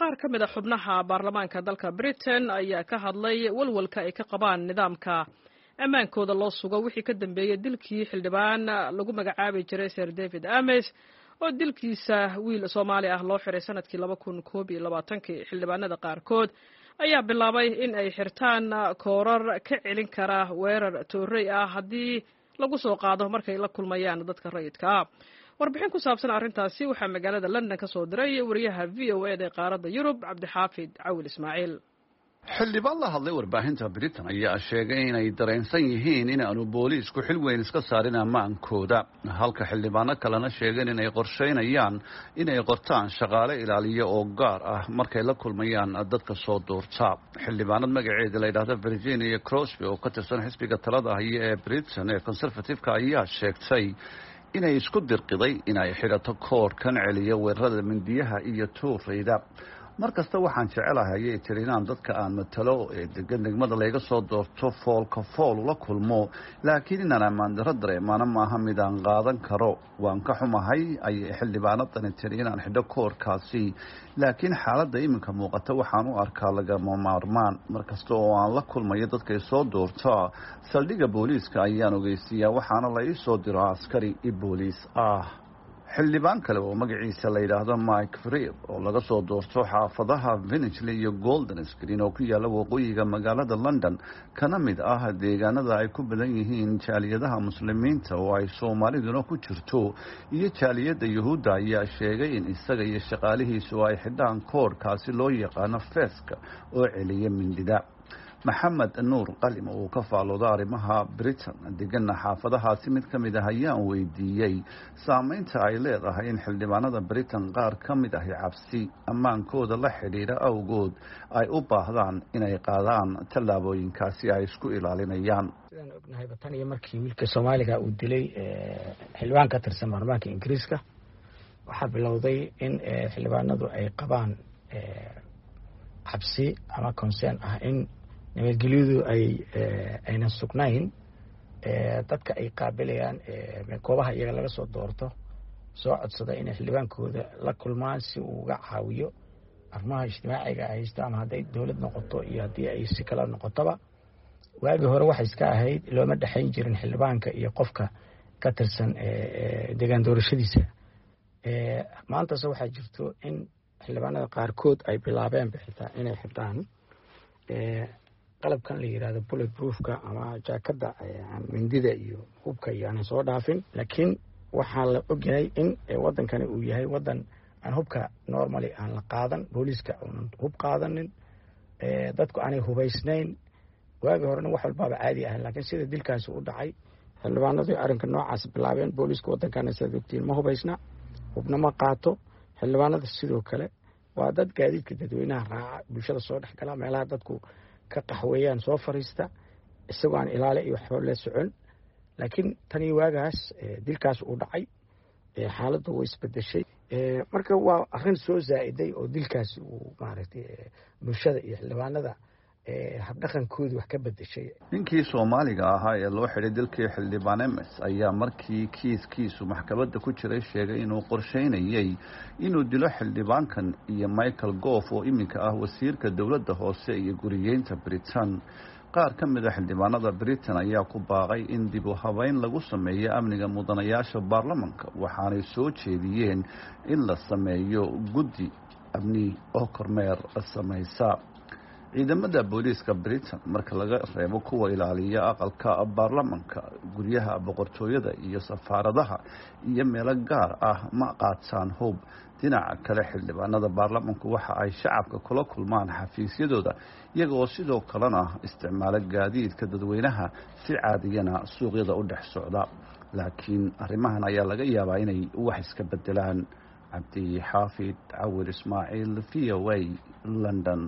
Qaar ka mid a xubnaha baarlamaanka dalka Britain ayaa ka hadlay walwalka ay ka qabaan nidaamka ammaankooda loo sugo wixii ka dambeeyey dilkii xildhibaan lagu magacaabi jiray Sir David Ames, oo dilkiisa wiil Soomaali ah loo xiray sanadkii 2021-kii. Xildhibaanada qaarkood ayaa bilaabay in ay xirtaan koorar ka celin kara weerar toorey ah haddii lagu soo qaado markay la kulmayaan dadka rayidka ah. Warbixin ku saabsan arrintaasi waxaa magaalada London ka soo diray wariyaha VOA da ee qaaradda Yurub, Cabdixaafid Cawil Ismaaciil. Xildhibaan la hadlay warbaahinta Britain ayaa sheegay inay dareensan yihiin in aanu booliisku xil weyn iska saarin ammaankooda, halka xildhibaano kalena sheegeen inay qorsheynayaan inay qortaan shaqaale ilaaliya oo gaar ah markay la kulmayaan dadka soo doorta. Xildhibaanad magaceeda la yidhaahdo Virginia Crosby oo ka tirsan xisbiga talada haya ee Britain ee Conservative-ka ayaa sheegtay inay isku dirqiday inay xidhato koorkan celiya weerarada mindiyaha iyo tuurayda. "Mar kasta waxaan jecelahay," ayay tiri, "inaan dadka aan matalo ee degan degmada layga soo doorto foolka fool ula kulmo, laakiin inaan ammaan darro dareemaana maaha mid aan qaadan karo. Waan ka xumahay," ayay xildhibaanadani tiri, "inaan xidho koorkaasi, laakiin xaaladda iminka muuqata waxaan u arkaa lagama maarmaan. Mar kasta oo aan la kulmayo dadkay soo doorta, saldhigga booliiska ayaan ogeysiiyaa, waxaana la ii soo diro askari booliis ah." Xildhibaan kale oo magaciisa la yidhaahdo Mike Freer oo laga soo doorto xaafadaha Finchley iyo Golders Green oo ku yaalla waqooyiga magaalada London, kana mid ah deegaanada ay ku badan yihiin jaaliyadaha Muslimiinta oo ay Soomaaliduna ku jirto iyo jaaliyadda Yuhuudda, ayaa sheegay in isaga iyo shaqaalihiisu ay xidhaan koodhkaasi loo yaqaano feeska oo celiya mindida. Maxamed Nuur Qalim oo uu ka faalooda arrimaha Britain, degana xaafadahaasi mid ka mid ah, ayaan weydiiyey saameynta ay leedahay in xildhibaanada Britain qaar ka mid ahi cabsi ammaankooda la xidhiidha awgood ay u baahdaan inay qaadaan tallaabooyinkaasi ay isku ilaalinayaan. Sidaan ognahayba, tan iyo markii wiilka Soomaaliga uu dilay xildhibaan ka tirsan baarlamaanka Ingiriiska, waxaa bilowday in xildhibaanadu ay qabaan cabsi ama concern ah in nabadgelyadu ay aynan sugnayn, dadka ay qaabilayaan goobaha iyaga laga soo doorto soo codsada inay xildhibaankooda la kulmaan si uu uga caawiyo arrimaha ijtimaaciga ay haysto, ama hadday dowlad noqoto iyo haddii ay si kala noqotoba. Waagii hore waxay iska ahayd looma dhexayn jirin xildhibaanka iyo qofka ka tirsan deegaan doorashadiisa. Maantase waxaa jirto in xildhibaanada qaarkood ay bilaabeen xitaa inay xidhaan qalabkan la yirahdo bullet proofka ama jaakada mindida iyo hubka iyo aanan soo dhaafin. Laakiin waxaa la ogyahay in wadankani uu yahay wadan aan hubka normally aan la qaadan, booliiska uunan hub qaadanin, dadku aanay hubaysnayn. Waagii horena wax walbaaba caadi ahayn, laakiin sida dilkaasi u dhacay xildhibaanadu arrinka noocaas bilaabeen. Booliiska wadankana, sidaad ogtiin, ma hubaysna, hubna ma qaato. Xildhibaanada sidoo kale waa dad gaadiidka dadweynaha raaca, bulshada soo dhex gala, meelaha dadku ka qaxweeyaan soo fariista, isagoo aan ilaale iyo waxba la socon. Laakiin tanii waagaas dilkaas uu dhacay, xaaladdu way isbedeshay. Marka waa arrin soo zaa'iday oo dilkaasi uu maaragtay bulshada iyo xildhibaanada habdhaqankoodii wax ka bedeshay. Ninkii Soomaaliga ahaa ee loo xidhay dilkii xildhibaan Ames ayaa markii kiiskiisu maxkamadda ku jiray sheegay inuu qorsheynayay inuu dilo xildhibaankan iyo Michael Gove oo iminka ah wasiirka dowladda hoose iyo guriyeynta Britain. Qaar ka mid a xildhibaanada Britain ayaa ku baaqay in dib u habeyn lagu sameeyo amniga mudanayaasha baarlamanka, waxaanay soo jeediyeen in la sameeyo guddi amni oo kormeer samaysa. Ciidamada booliiska Britain, marka laga reebo kuwa ilaaliya aqalka baarlamanka, guryaha boqortooyada iyo safaaradaha iyo meelo gaar ah, ma qaataan hub. Dhinaca kale, xildhibaanada baarlamanku waxa ay shacabka kula kulmaan xafiisyadooda, iyaga oo sidoo kalena isticmaalo gaadiidka dadweynaha, si caadiyana suuqyada u dhex socda. Laakiin arrimahan ayaa laga yaabaa inay wax iska bedelaan. Cabdi Xaafid Cawir Ismaaciil, VOA, London.